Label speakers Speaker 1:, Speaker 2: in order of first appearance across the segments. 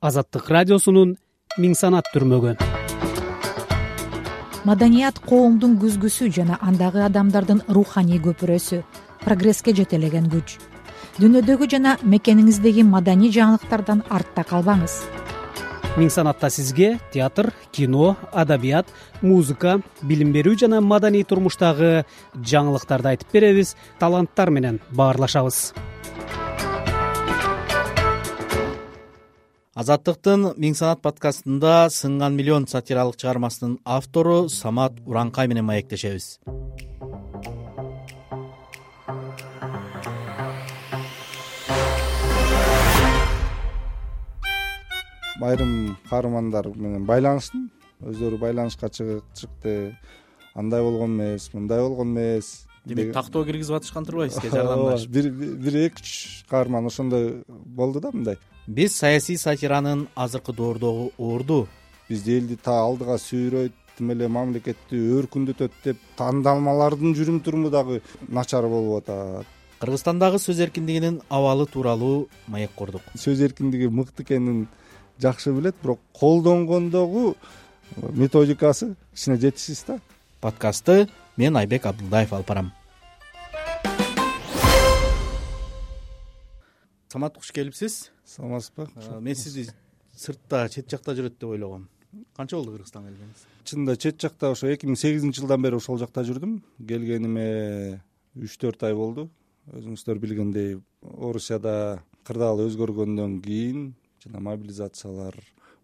Speaker 1: Азаттык радиосунун Миң санат түрмөгү.
Speaker 2: Маданият коомдун күзгүсү жана андагы адамдардын руханий көпүрөсү, прогресске жетелеген күч. Дүйнөдөгү жана мекениңиздеги маданий жаңылыктардан артта калбаңыз.
Speaker 1: Миң санатта сизге театр, кино, адабият, музыка, билим берүү жана маданий турмуштагы жаңылыктарды айтып беребиз, таланттар менен баарлашабыз.
Speaker 3: Азаттыктын Миң санат подкастында Сынган миллион сатиралык чыгармасынын автору Самат Уранкай менен маектешебиз.
Speaker 4: Айрым каармандар менен байланыштым. Өздөрү байланышка чыкты. Андай болгон эмес, мындай болгон эмес.
Speaker 3: Демек тактоо киргизип атышкан турбайбы сизге жардамдаш?
Speaker 4: Бир 2-3 каарман ошондой болду да мындай.
Speaker 3: Биз саясий сатиранын азыркы доордогу орду.
Speaker 4: Биз элди алдыга сүйрөйт, тим эле мамлекетти өркүндөтөт деп тандалмалардын жүрүм туруму дагы начар болуп атат.
Speaker 3: Кыргызстандагы сөз эркиндигинин абалы тууралуу маек курдук.
Speaker 4: Сөз эркиндиги мыкты экенин жакшы билет, бирок колдонгондогу методикасы кичине жетишсиз да.
Speaker 3: Подкастты мен Айбек Абдулдаев алып барам. Самат, куш келипсиз.
Speaker 4: Саламатсызбы?
Speaker 3: Мен сизди сыртта, чет жакта жүрөт деп ойлогом. Канча болду Кыргызстанга келгениңиз?
Speaker 4: Чынында чет жакта ошо 2008-жылдан бери ошол жакта жүрдүм. Келгениме 3-4 ай болду. Өзүңүздөр билгендей, Орусияда кырдаал өзгөргөндөн кийин жана мобилизациялар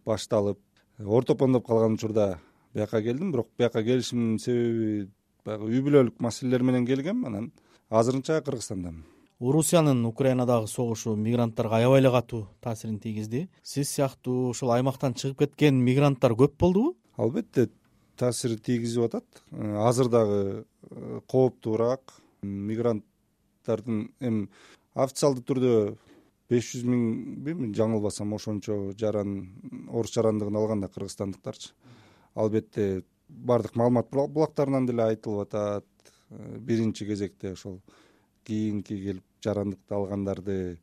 Speaker 4: башталып, ортопондоп калган учурда бияка келдим. Бирок бияка келишимдин себеби баягы үй бүлөлүк маселелер менен келгем. Анан азырынча Кыргызстандамын.
Speaker 3: Орусиянын Украинадагы согушу мигранттарга аябай эле катуу таасирин тийгизди. Сиз сыяктуу ошол аймактан чыгып кеткен мигранттар көп болдубу?
Speaker 4: Албетте таасир тийгизип атат. Азыр дагы кооптуураак. Мигранттардын эми официалдуу түрдө 500 миңби, жаңылбасам ошончо орус жарандыгын алган да кыргызстандыктарчы. Албетте бардык маалымат булактарынан деле айтылып атат. Биринчи кезекте ошол кийинки келип жарандыкты алгандарды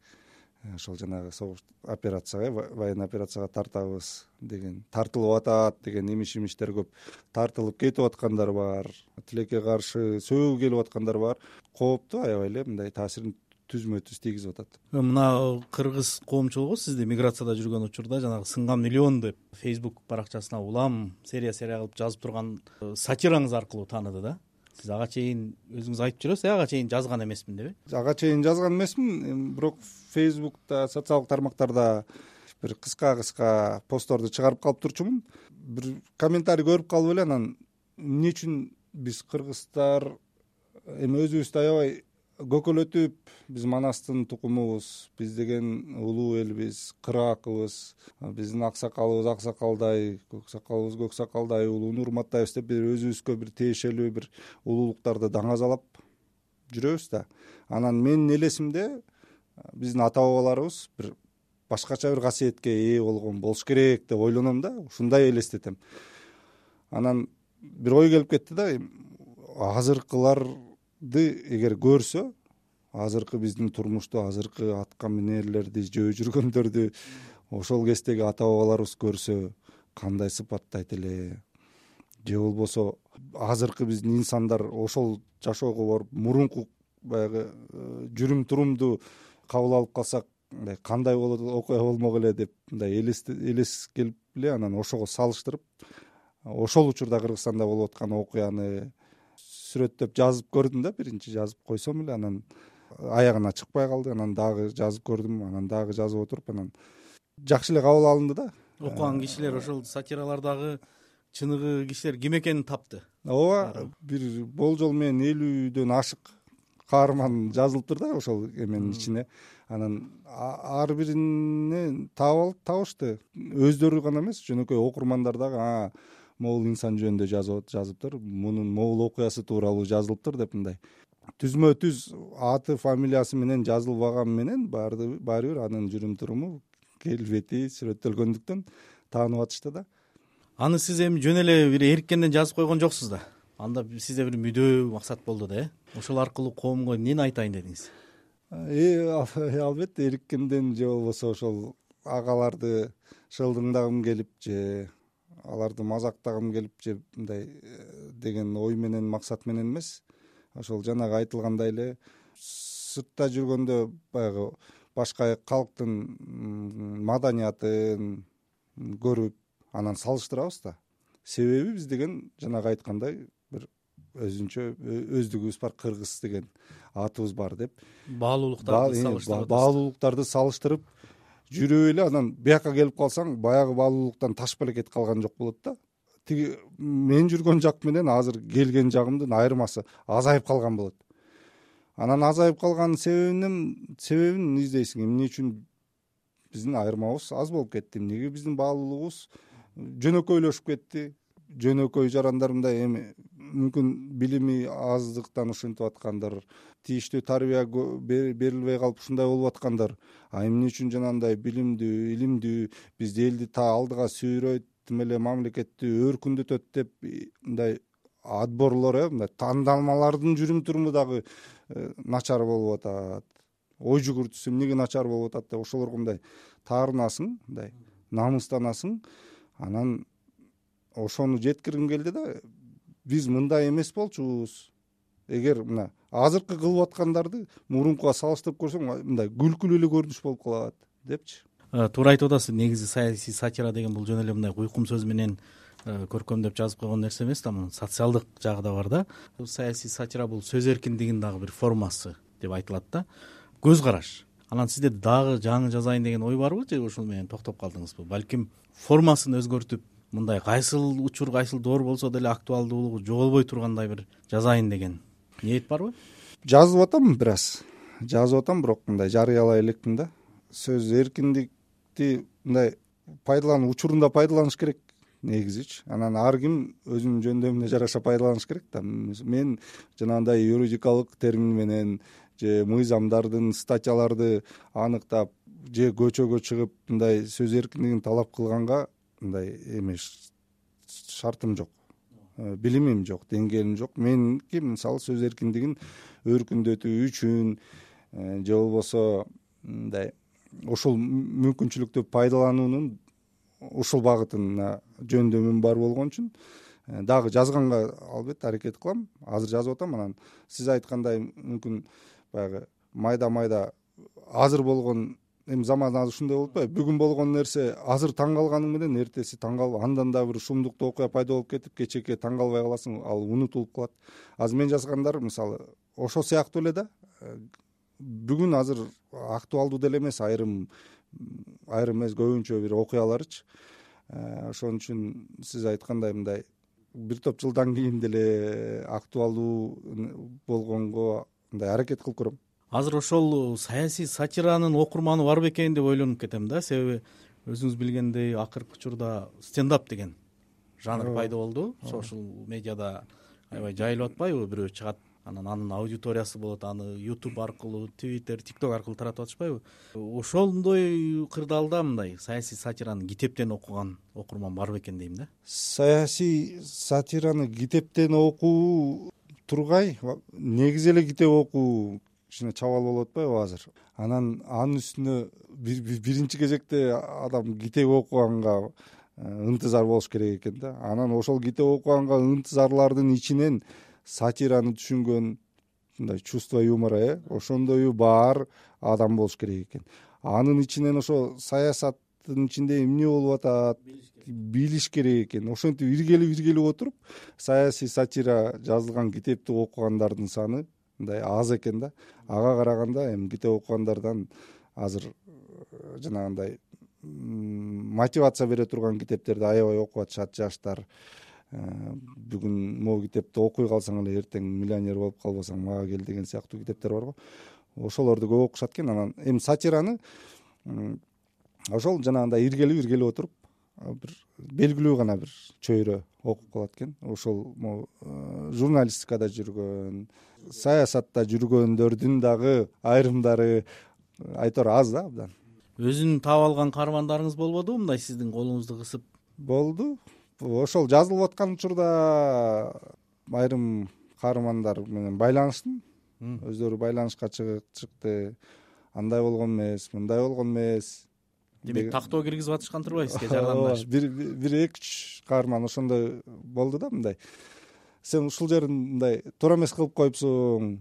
Speaker 4: ошол жанагы согуш операцияга, военный операцияга тартабыз деген, тартылып атат деген имиш-имиштер көп. Тартылып кетип аткандар бар, тилекке каршы сөөгү келип аткандар бар. Кооптуу аябай эле мындай таасирин түзмө-түз тийгизип атат.
Speaker 3: Мына кыргыз коомчулугу сизди миграцияда жүргөн учурда жанагы Сынган миллион деп Facebook баракчасына улам серия кылып жазып турган сатираңыз аркылуу тааныды да. Сиз ага чейин өзүңүз айтып жүрөсүз, ага чейин жазган эмесмин деп.
Speaker 4: Ага чейин жазган эмесмин, бирок Facebook'та, социалдык тармактарда бир кыска постторду чыгарып калып турчумун. Бир комментарий көрүп калып эле, анан эмне үчүн биз кыргыздар эми өзүбүздү аябай көкөлөтүп, биз Манастын тукумубуз, биз деген улуу элбиз, кыраакыбыз, биздин аксакалыбыз аксакалдай, көксакалыбыз көксакалдай, улууну урматтайбыз деп бир өзүбүзгө бир тиешелүү бир улуулуктарды даңазалап жүрөбүз да. Анан менин элесимде биздин ата бабаларыбыз бир башкача бир касиетке ээ болгон болуш керек деп ойлоном да, ушундай элестетем. Анан бир ой келип кетти да, азыркыларды эгер көрсө, азыркы биздин турмушту, азыркы атка минерлерди жөө жүргөндөрдү ошол кездеги ата бабаларыбыз көрсө кандай сыпаттайт эле? Же болбосо азыркы биздин инсандар ошол жашоого барып мурунку баягы жүрүм турумду кабыл алып калсак кандай болот, окуя болмок эле деп мындай элес келип эле, анан ошого салыштырып ошол учурда Кыргызстанда болуп аткан окуяны сүрөттөп жазып көрдүм да. Биринчи жазып койсом эле, анан аягына чыкпай калды. Анан дагы жазып көрдүм, анан дагы жазып отуруп, анан жакшы эле кабыл алынды да.
Speaker 3: Окуган кишилер ошол сатиралардагы чыныгы кишилер ким экенин тапты.
Speaker 4: Ооба, бир болжол менен 50дөн ашык каарман жазылыптыр да ошол эменин ичине. Анан ар бирине табышты. Өздөрү гана эмес, жөнөкөй окурмандар дагы могул инсан жөнүндө жазыптыр, мунун могул окуясы тууралуу жазылыптыр деп мындай түзмө-түз аты, фамилиясы менен жазылбаган менен баары бир анын жүрүм туруму, келбети сүрөттөлгөндүктөн таанып атышты да.
Speaker 3: Аны сиз эми жөн эле бир эриккенден жазып койгон жоксуз да. Анда сизде бир мүдөө максат болду да, ошол аркылуу коомго эмнени айтайын дедиңиз?
Speaker 4: Албетте эриккенден же болбосо ошол агаларды шылдыңдагым келип же аларды мазактагым келип же мындай деген ой менен, максат менен эмес. Ошол жанагы айтылгандай эле сыртта жүргөндө баягы башка калктын маданиятын көрүп анан салыштырабыз да. Себеби биз деген жанагы айткандай бир өзүнчө өздүгүбүз бар, кыргыз деген атыбыз бар деп баалуулуктарды салыштырып жүрүп эле анан бияка келип калсаң баягы баалуулуктан таш белекет калган жок болот да. Тиги мен жүргөн жак менен азыр келген жагымдын айырмасы азайып калган болот. Анан азайып калган себебин издейсиң. Эмне үчүн биздин айырмабыз аз болуп кетти? Эмнеге биздин баалуулугубуз жөнөкөйлөшүп кетти? Жөнөкөй жарандар мындай эми мүмкүн билими аздыктан ушинтип аткандыр, тийиштүү тарбия берилбей калып ушундай болуп аткандыр. Эмне үчүн жанагындай билимдүү, илимдүү бизди элди алдыга сүйрөйт, тим эле мамлекетти өркүндөтөт деп мындай отборлор, мындай тандалмалардын жүрүм туруму дагы начар болуп атат. Ой жүгүртүүсү эмнеге начар болуп атат деп ошолорго мындай таарынасың, мындай намыстанасың. Анан ошону жеткиргим келди да, биз мындай эмес болчубуз. Эгер мына азыркы кылып аткандарды мурункуга салыштырып көрсөң, мындай күлкүлүү эле көрүнүш болуп калат депчи.
Speaker 3: Туура айтып атасыз. Негизи саясий сатира деген бул жөн эле мындай куйкум сөз менен көркөмдөп жазып койгон нерсе эмес да, мунун социалдык жагы да бар да. Саясий сатира бул сөз эркиндигинин дагы бир формасы деп айтылат да. Көз караш. Анан сизде дагы жаңы жазайын деген ой барбы же ушул менен токтоп калдыңызбы? Балким формасын өзгөртүп, мындай кайсыл учур, кайсыл доор болсо деле актуалдуулугу жоголбой тургандай бир жазайын деген ниет барбы?
Speaker 4: Жазып атам, бирок мындай жарыялай элекмин да. Сөз эркиндикти мындай учурунда пайдаланыш керек негизичи. Анан ар ким өзүнүн жөндөмүнө жараша пайдаланыш керек да. Мен жанагындай юридикалык термин менен же мыйзамдардын, статьяларды аныктап же көчөгө чыгып мындай сөз эркиндигин талап кылганга мындай эмес шартым жок, билимим жок, деңгээлим жок. Меники мисалы сөз эркиндигин өркүндөтүү үчүн же болбосо мындай ушул мүмкүнчүлүктү пайдалануунун ушул багытына жөндөмүм бар болгон үчүн дагы жазганга албетте аракет кылам. Азыр жазып атам. Анан сиз айткандай мүмкүн баягы майда азыр болгон эми заман азыр ушундай болуп атпайбы? Бүгүн болгон нерсе азыр таң калганың менен эртеси таң калып, андан да бир шумдуктуу окуя пайда болуп кетип, кечээкке таң калбай каласың, ал унутулуп калат. Азыр мен жазгандар мисалы ошол сыяктуу эле да. Бүгүн азыр актуалдуу деле эмес айрым эмес көбүнчө бир окуяларычы. Ошон үчүн сиз айткандай мындай бир топ жылдан кийин деле актуалдуу болгонго мындай аракет кылып көрөм.
Speaker 3: Азыр ошол саясий сатиранын окурманы бар бекен деп ойлонуп кетем да. Себеби өзүңүз билгендей акыркы учурда стендап деген жанр пайда болду. Сошиал медиада аябай жайылып атпайбы? Бирөө чыгат, анан анын аудиториясы болот, аны YouTube аркылуу, Twitter, TikTok аркылуу таратып атышпайбы? Ошондой кырдаалда мындай саясий сатираны китептен окуган окурман бар бекен дейм да.
Speaker 4: Саясий сатираны китептен окуу тургай, негизи эле китеп окуу кичине чабал болуп атпайбы азыр? Анан анын үстүнө биринчи кезекте адам китеп окуганга ынтызар болуш керек экен да. Анан ошол китеп окуганга ынтызарлардын ичинен сатираны түшүнгөн мындай чувство юмора, ошондою бар адам болуш керек экен. Анын ичинен ошо саясаттын ичинде эмне болуп атат билиш керек экен. Ошентип иргелип отуруп саясий сатира жазылган китепти окугандардын саны мындай аз экен да. Ага караганда эми китеп окугандардан азыр жанагындай мотивация бере турган китептерди аябай окуп атышат жаштар. Бүгүн могу китепти окуй калсаң эле эртең миллионер болуп калбасаң мага кел деген сыяктуу китептер барго. Ошолорду көп окушат экен. Анан эми сатираны ошол жанагындай иргелип отуруп бир белгилүү гана бир чөйрө окуп калат экен. Ошол журналистикада жүргөн, саясатта жүргөндөрдүн дагы айрымдары айтор аз да абдан.
Speaker 3: Өзүн таап алган каармандарыңыз болбодубу мындай сиздин колуңузду кысып?
Speaker 4: Болду. Ошол жазылып аткан учурда айрым каармандар менен байланыштым. Өздөрү байланышка чыкты. Андай болгон эмес, мындай болгон эмес.
Speaker 3: демек тактоо киргизип атышкан турбайбы сизге жардамдашып?
Speaker 4: бир 2-3 каарман ошондой болду да, мындай сен ушул жерин мындай туура эмес кылып коюпсуң,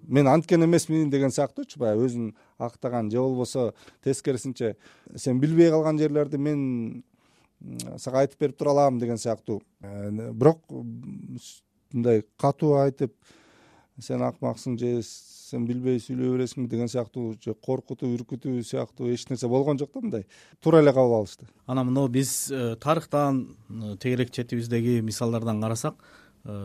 Speaker 4: мен анткен эмесмин деген сыяктуучу, баягы өзүн актаган же болбосо тескерисинче сен билбей калган жерлерди мен сага айтып берип тура алам деген сыяктуу. Бирок мындай катуу айтып сен акмаксың же сен билбей сүйлөй бересиңби деген сыяктуу же коркутуу, үркүтүү сыяктуу эч нерсе болгон жок да, мындай туура эле кабыл алышты.
Speaker 3: Анан мына биз тарыхтан, тегерек четибиздеги мисалдардан карасак,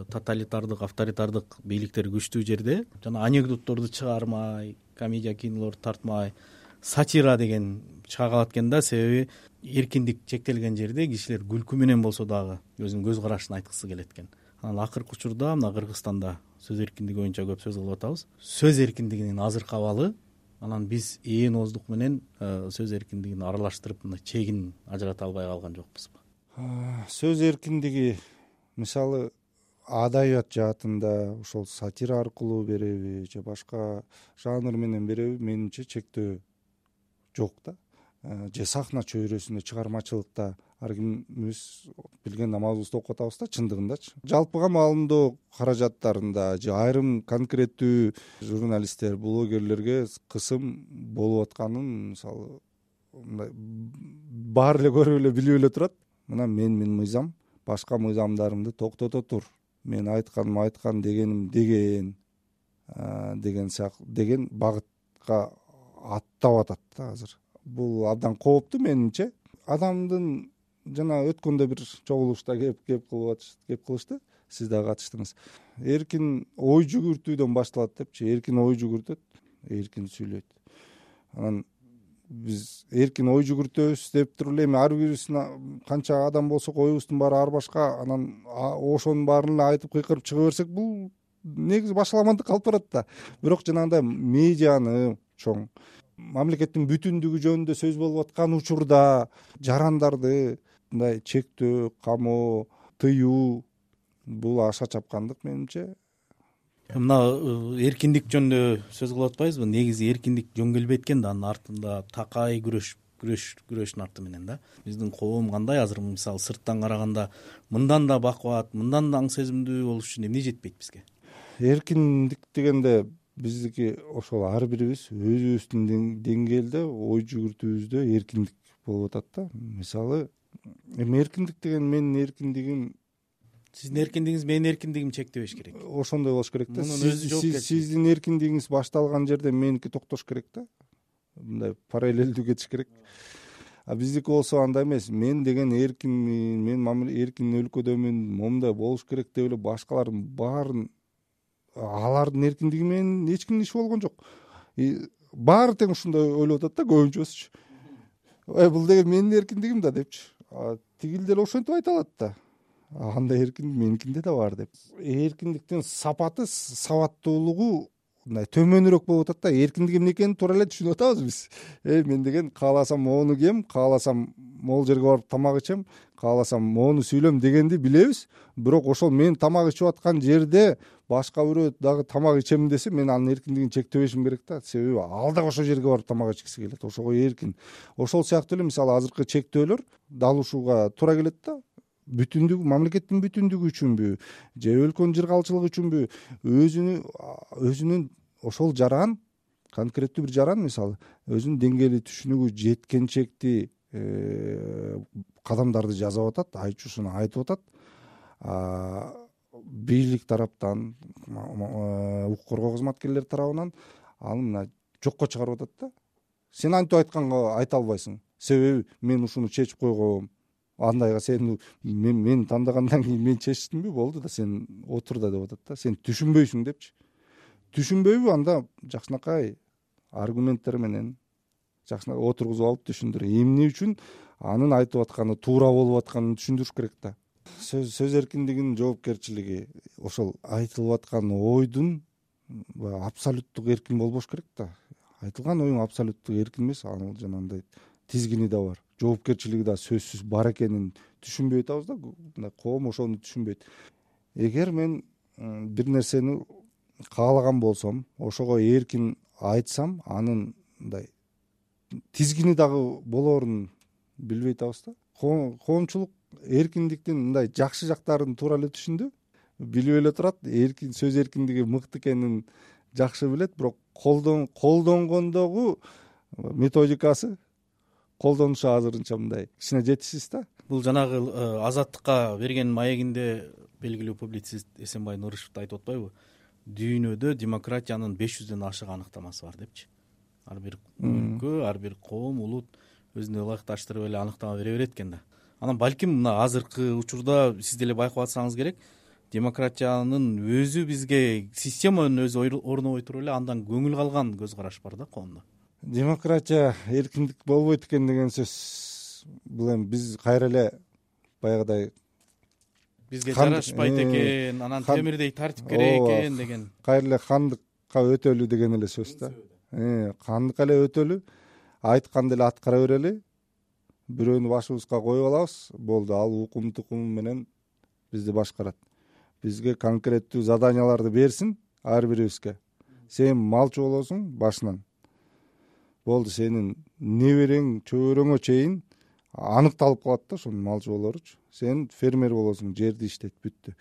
Speaker 3: тоталитардык, авторитардык бийликтер күчтүү жерде жана анекдотторду чыгармай, комедия кинолорду тартмай, сатира деген чыга калат экен да. Себеби эркиндик чектелген жерде кишилер күлкү менен болсо дагы өзүнүн көз карашын айткысы келет экен. Анан акыркы учурда мына Кыргызстанда сөз эркиндиги боюнча көп сөз кылып атабыз. Сөз эркиндигинин азыркы абалы, анан биз ээн ооздук менен сөз эркиндигин аралаштырып мына чегин ажырата албай калган жокпузбу?
Speaker 4: Сөз эркиндиги мисалы адабият жаатында ошол сатира аркылуу береби же башка жанр менен береби, менимче чектөө жок да. Же сахна чөйрөсүндө чыгармачылыкта ар кимибиз билген намазыбызды окуп атабыз да, чындыгындачы. Жалпыга маалымдоо каражаттарында же айрым конкреттүү журналисттер, блогерлерге кысым болуп атканын мисалы мындай баары эле көрүп эле билип эле турат. Мына менин мыйзам башка мыйзамдарымды токтото тур. Мен айтканым айткан, дегеним деген деген багытка аттап атат да азыр. Бул абдан кооптуу менимче. Адамдын жана өткөндө бир чогулушта кеп кылышты, сиз дагы катыштыңыз. Эркин ой жүгүртүүдөн башталат депчи, эркин ой жүгүртөт, эркин сүйлөйт. Анан биз эркин ой жүгүртөбүз деп туруп эле эми ар бирибиздин канча адам болсок оюбуздун баары ар башка, анан ошонун баарын эле айтып кыйкырып чыга берсек, бул негизи башаламандыкка алып барат да. Бирок жанагындай медианы чоң, мамлекеттин бүтүндүгү жөнүндө сөз болуп аткан учурда жарандарды мындай чектөө, камоо, тыюу бул аша чапкандык менимче.
Speaker 3: Мына эркиндик жөнүндө сөз кылып атпайбызбы? Негизи эркиндик жөн келбейт экен да, анын артында такай күрөштүн арты менен да. Биздин коом кандай азыр мисалы сырттан караганда мындан да бакубат, мындан да аң сезимдүү болуш үчүн эмне жетпейт бизге?
Speaker 4: Эркиндик дегенде биздики ошол ар бирибиз өзүбүздүн деңгээлде ой жүгүртүүбүздө эркиндик болуп атат да. Мисалы эми эркиндик деген менин эркиндигим,
Speaker 3: сиздин эркиндигиңиз менин эркиндигимди чектебеш керек.
Speaker 4: Ошондой болуш керек да.
Speaker 3: Мунун өзү жоопкерчилик.
Speaker 4: Сиздин эркиндигиңиз башталган жерде меники токтош керек да. Мындай параллелдүү кетиш керек. А биздики болсо андай эмес. Мен деген эркинмин, мен эркин өлкөдөмүн, момундай болуш керек деп эле башкалардын баарын, алардын эркиндиги менен эч кимдин иши болгон жок. Баары тең ушундай ойлоп атат да көбүнчөсүчү. Бул деген менин эркиндигим да депчи. Тигил деле ошентип айта алат да. Андай эркиндик меникинде да бар деп. Эркиндиктин сапаты, сабаттуулугу мындай төмөнүрөөк болуп атат да. Эркиндик эмне экенин туура эле түшүнүп атабыз биз. Мен деген кааласам моуну кием, кааласам могул жерге барып тамак ичем, кааласам моуну сүйлөм дегенди билебиз. Бирок ошол мен тамак ичип аткан жерде башка бирөө дагы тамак ичем десе, мен анын эркиндигин чектебешим керек да. Себеби ал дагы ошол жерге барып тамак ичкиси келет. Ошого эркин. Ошол сыяктуу эле мисалы азыркы чектөөлөр дал ушуга туура келет да. Бүтүндүк, мамлекеттин бүтүндүгү үчүнбү же өлкөнүн жыргалчылыгы үчүнбү, өзүнүн ошол жаран, конкреттүү бир жаран мисалы өзүнүн деңгээли түшүнүгү жеткенчекти кадамдарды жасап атат, айтчусун айтып атат. Бийлик тараптан, укук коргоо кызматкерлери тарабынан аны мына жокко чыгарып атат да. Сен антип айтканга айта албайсың. Себеби мен ушуну чечип койгом. Андайга сен мен тандагандан кийин мен чечтимби, болду да, сен отур да деп атат да. Сен түшүнбөйсүң депчи. Түшүнбөйбү, анда жакшынакай аргументтер менен жакшынакай отургузуп алып түшүндүр. Эмне үчүн анын айтып атканы туура болуп атканын түшүндүрүш керек да. Сөз эркиндигинин жоопкерчилиги ошол айтылып аткан ойдун абсолюттук эркин болбош керек да. Айтылган оюң абсолюттук эркин эмес, ал жанагындай тизгини да бар, жоопкерчилиги да сөзсүз бар экенин түшүнбөй атабыз да. Мына коом ошону түшүнбөйт. Эгер мен бир нерсени каалаган болсом, ошого эркин айтсам, анын мындай тизгини дагы болоорун билбей атабыз да. Коомчулук эркиндиктин мындай жакшы жактарын туура эле түшүндү, билип эле турат, сөз эркиндиги мыкты экенин жакшы билет, бирок колдонгондогу методикасы, колдонушу азырынча мындай кичине жетишсиз да.
Speaker 3: Бул жанагы Азаттыкка берген маегинде белгилүү публицист Эсенбай Нурышев айтып атпайбы? Дүйнөдө демократиянын 500дөн ашык аныктамасы бар депчи. Ар бир өлкө, ар бир коом, улут өзүнө ылайыкташтырып эле аныктама бере берет экен да. Анан балким мына азыркы учурда сиз деле байкап атсаңыз керек, демократиянын өзү бизге, системанын өзү орнобой туруп эле андан көңүл калган көз караш бар да коомдо.
Speaker 4: Демократия, эркиндик болбойт экен деген сөз, бул эми биз кайра эле баягыдай
Speaker 3: бизге жарашпайт экен, анан темирдей тартип керек экен деген.
Speaker 4: Кайра эле хандыкка өтөлү деген эле сөз да. Хандыкка эле өтөлү, айтканды эле аткара берели, бирөөнү башыбызга коюп алабыз, болду, ал укум тукуму менен бизди башкарат. Бизге конкреттүү заданияларды берсин ар бирибизге. Сен малчы болосуң башынан. Болду, сенин неберең, чөбөрөңө чейин аныкталып калат да ошонун малчы болоручу. Сен фермер болосуң, жерди иштет, бүттү.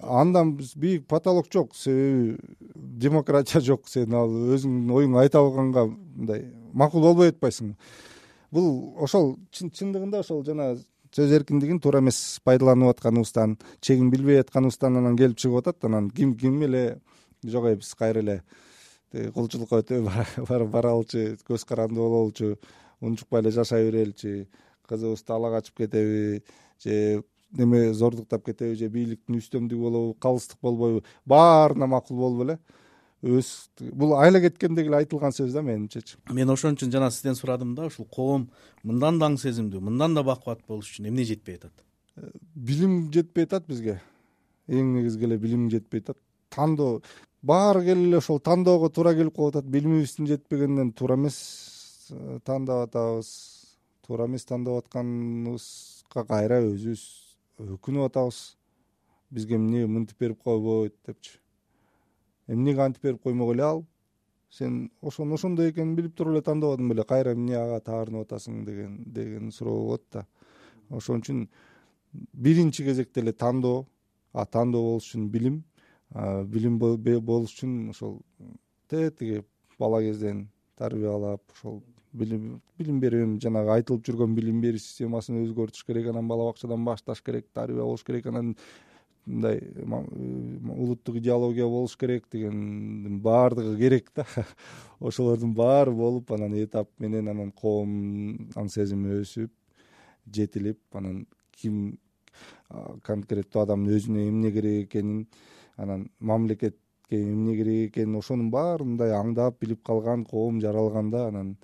Speaker 4: Андан бийик потолок жок, себеби демократия жок. Сен ал өзүңдүн оюңду айта алганга мындай макул болбой атпайсың. Бул ошол чындыгында ошол жана сөз эркиндигин туура эмес пайдаланып атканыбыздан, чегин билбей атканыбыздан анан келип чыгып атат. Анан ким эле жок, биз кайра эле кулчулукка өтө баралычы, көз каранды бололучу, унчукпай эле жашай береличи, кызыбызды ала качып кетеби, же неме зордуктап кетеби, же бийликтин үстөмдүгү болобу, калыстык болбойбу, баарына макул болуп эле бул айла кеткенде эле айтылган сөз да менимчечи.
Speaker 3: Мен ошон үчүн жана сизден сурадым да, ушул коом мындан да аң сезимдүү, мындан да бакубат болуш үчүн эмне жетпей атат?
Speaker 4: Билим жетпей атат бизге. Эң негизги эле билим жетпей атат. Тандоо баары келип эле ошол тандоого туура келип калып атат. Билимибиздин жетпегенден туура эмес тандап атабыз. Туура эмес тандап атканыбызга кайра өзүбүз өкүнүп атабыз. Бизге эмне мынтип берип койбойт депчи. Эмнеге антип берип коймок эле ал? Сен ошондой экенин билип туруп эле тандабадың беле? Кайра эмне ага таарынып атасың деген суроо болот да. Ошон үчүн биринчи кезекте эле тандоо, тандоо болуш үчүн билим болуш үчүн ошол тетиги бала кезден тарбиялап, ошол билим берүү, жанагы айтылып жүргөн билим берүү системасын өзгөртүш керек, анан бала бакчадан башташ керек, тарбия болуш керек, анан мындай улуттук идеология болуш керек дегендин баардыгы керек да. Ошолордун баары болуп, анан этап менен анан коом аң сезими өсүп, жетилип, анан ким конкреттүү адамдын өзүнө эмне керек экенин, анан мамлекетке эмне керек экенин, ошонун баарын мындай аңдап билип калган коом жаралганда, анан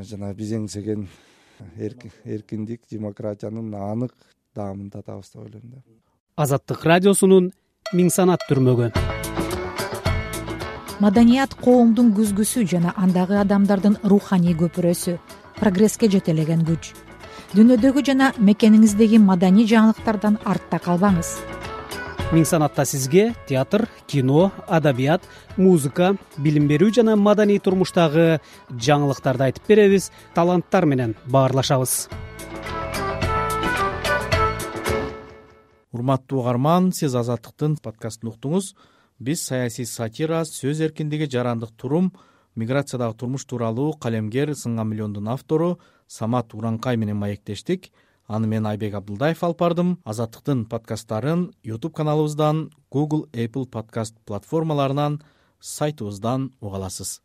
Speaker 4: жана биз эңсеген эркиндик, демократиянын анык даамын татабыз деп ойлойм да.
Speaker 1: Азаттык радиосунун Миң санат түрмөгү.
Speaker 2: Маданият коомдун күзгүсү жана андагы адамдардын руханий көпүрөсү, прогресске жетелеген күч. Дүйнөдөгү жана мекениңиздеги маданий жаңылыктардан артта калбаңыз.
Speaker 1: Миң санатта сизге театр, кино, адабият, музыка, билим берүү жана маданий турмуштагы жаңылыктарды айтып беребиз, таланттар менен баарлашабыз.
Speaker 3: Урматтуу угарман, сиз Азаттыктын подкастын уктуңуз. Биз саясий сатира, сөз эркиндиги, жарандык турум, миграциядагы турмуш тууралуу калемгер Сынган миллиондун автору Самат Уранкай менен маектештик. Аны мен Айбек Абдылдаев алып бардым. Азаттыктын подкасттарын YouTube каналыбыздан, Google, Apple подкаст платформаларынан, сайтыбыздан уга аласыз.